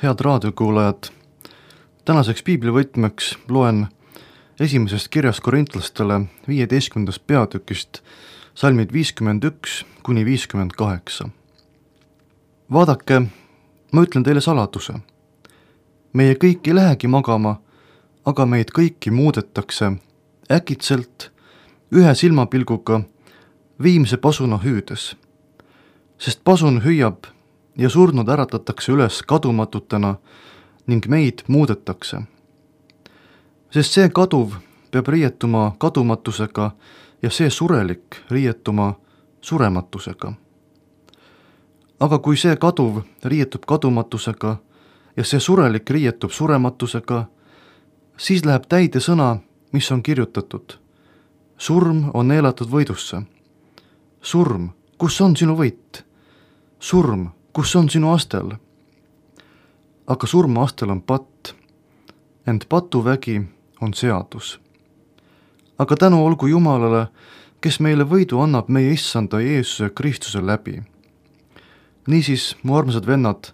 Head raadiokuulajad, tänaseks piiblivõtmeks loen esimesest kirjast korintlastele 15. peatükist salmid 51 kuni 58. Vaadake, ma ütlen teile saladuse. Meie kõik ei lähegi magama, aga meid kõiki muudetakse äkitselt ühe silmapilguga viimse pasuna hüüdes. Sest pasun hüüab ja surnud äratatakse üles kadumatutena ning meid muudetakse. Sest see kaduv peab riietuma kadumatusega ja see surelik riietuma surematusega. Aga kui see kaduv riietub kadumatusega ja see surelik riietub surematusega, siis läheb täide sõna, mis on kirjutatud. Surm on neelatud võidusse. Surm, kus on sinu võit? Surm, kus on sinu astel? Aga surma astel on patt, ent patuvägi on seadus. Aga tänu olgu Jumalale, kes meile võidu annab meie issanda Jeesuse Kristuse läbi. Niisiis, mu armsad vennad,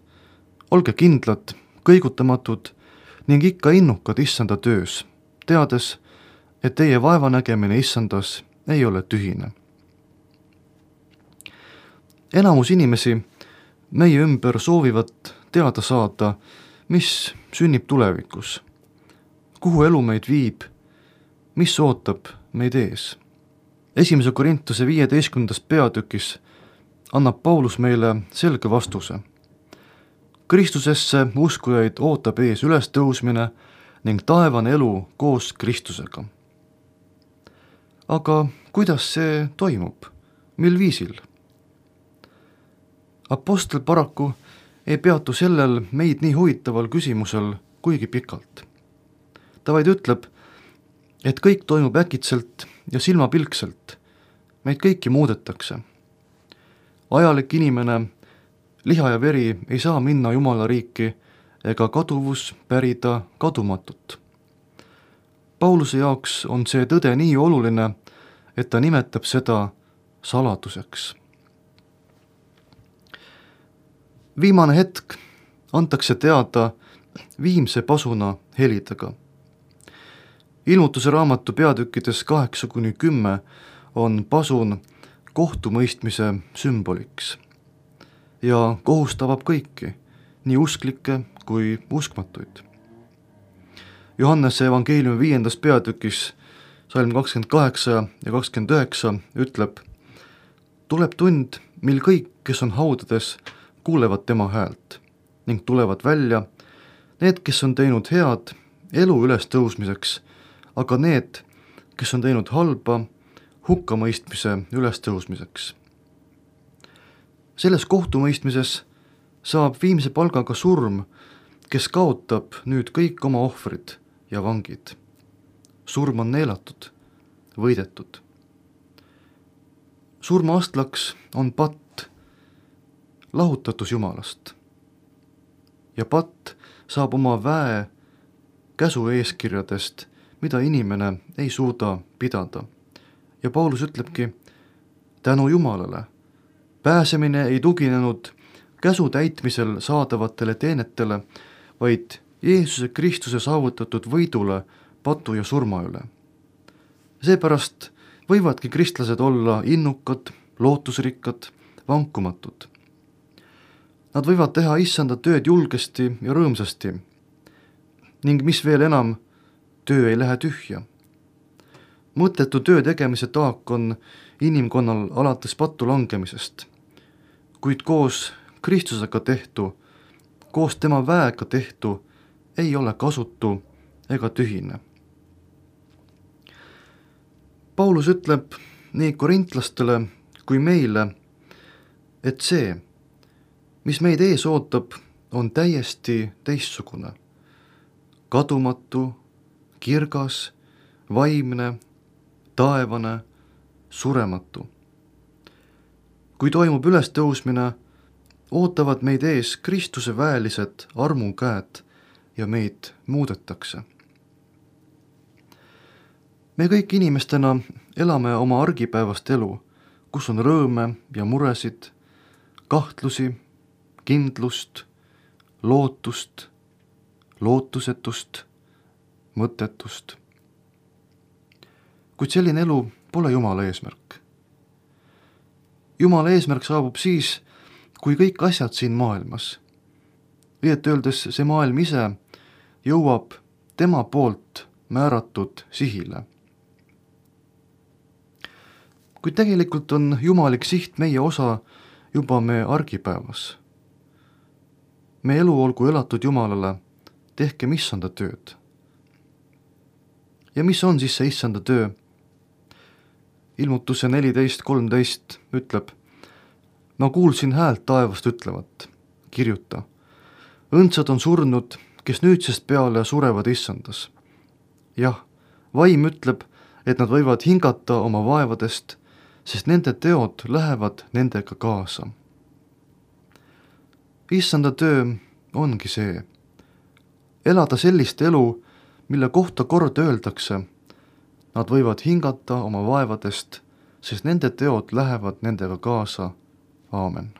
olge kindlad, kõigutamatud ning ikka innukad issanda töös, teades, et teie vaevanägemine issandas ei ole tühine. Enamus inimesi meie ümber soovivad teada saada, mis sünnib tulevikus, kuhu elu meid viib, mis ootab meid ees. 1. Korintuse 15. peatükis annab Paulus meile selge vastuse. Kristusesse uskujaid ootab ees ülestõusmine ning taevane elu koos Kristusega. Aga kuidas see toimub? Mil viisil? Apostel paraku ei peatu sellel meid nii huvitaval küsimusel kuigi pikalt. Ta vaid ütleb, et kõik toimub äkitselt ja silmapilkselt. Meid kõiki muudetakse. Ajalik inimene, liha ja veri ei saa minna Jumala riiki ega kaduvus pärida kadumatut. Pauluse jaoks on see tõde nii oluline, et ta nimetab seda saladuseks. Viimane hetk antakse teada viimse pasuna helidega. Ilmutuse raamatu peatükkides 8-10 on pasun kohtumõistmise sümboliks ja kohus tabab kõiki, nii usklikke kui uskmatuid. Johannese evangeeliumi 5. peatükis salm 28 ja 29 ütleb: tuleb tund, mil kõik, kes on haudades, kuulevad tema häält ning tulevad välja need, kes on teinud head elu ülestõusmiseks, aga need, kes on teinud halba hukkamõistmise ülestõusmiseks. Selles kohtumõistmises saab viimse palgaga surm, kes kaotab nüüd kõik oma ohvrid ja vangid. Surm on neelatud, võidetud. Surma astlaks on patt, lahutatus Jumalast. Ja patt saab oma väe käsu eeskirjadest, mida inimene ei suuda pidada. Ja Paulus ütlebki, tänu Jumalale. Pääsemine ei tuginenud käsu täitmisel saadavatele teenetele, vaid Jeesuse Kristuse saavutatud võidule patu ja surma üle. Seepärast võivadki kristlased olla innukad, lootusrikkad, vankumatud. Nad võivad teha issanda tööd julgesti ja rõõmsasti ning mis veel enam, töö ei lähe tühja. Mõttetu töö tegemise taak on inimkonnal alates pattu langemisest, kuid koos Kristusega tehtu, koos tema väega tehtu ei ole kasutu ega tühine. Paulus ütleb nii korintlastele kui meile, et see, mis meid ees ootab, on täiesti teistsugune. Kadumatu, kirgas, vaimne, taevane, surematu. Kui toimub ülestõusmine, ootavad meid ees Kristuse väelised armukäed ja meid muudetakse. Me kõik inimestena elame oma argipäevast elu, kus on rõõme ja muresid, kahtlusi, kindlust, lootust, lootusetust, mõttetust. Kuid selline elu pole Jumala eesmärk. Jumala eesmärk saabub siis, kui kõik asjad siin maailmas, õieti öeldes see maailm ise, jõuab tema poolt määratud sihile. Kuid tegelikult on jumalik siht meie osa juba me argipäevas. Me elu olgu elatud Jumalale, tehkem issanda tööd. Ja mis on siis see issanda töö? Ilmutuse 14.13 ütleb: ma kuulsin häält taevast ütlevat, kirjuta. Õndsad on surnud, kes nüüdsest peale surevad issandas. Jah, vaim ütleb, et nad võivad hingata oma vaevadest, sest nende teod lähevad nendega kaasa. Issanda töö ongi see. Elada sellist elu, mille kohta kord öeldakse, nad võivad hingata oma vaevadest, sest nende teod lähevad nendega kaasa. Aamen.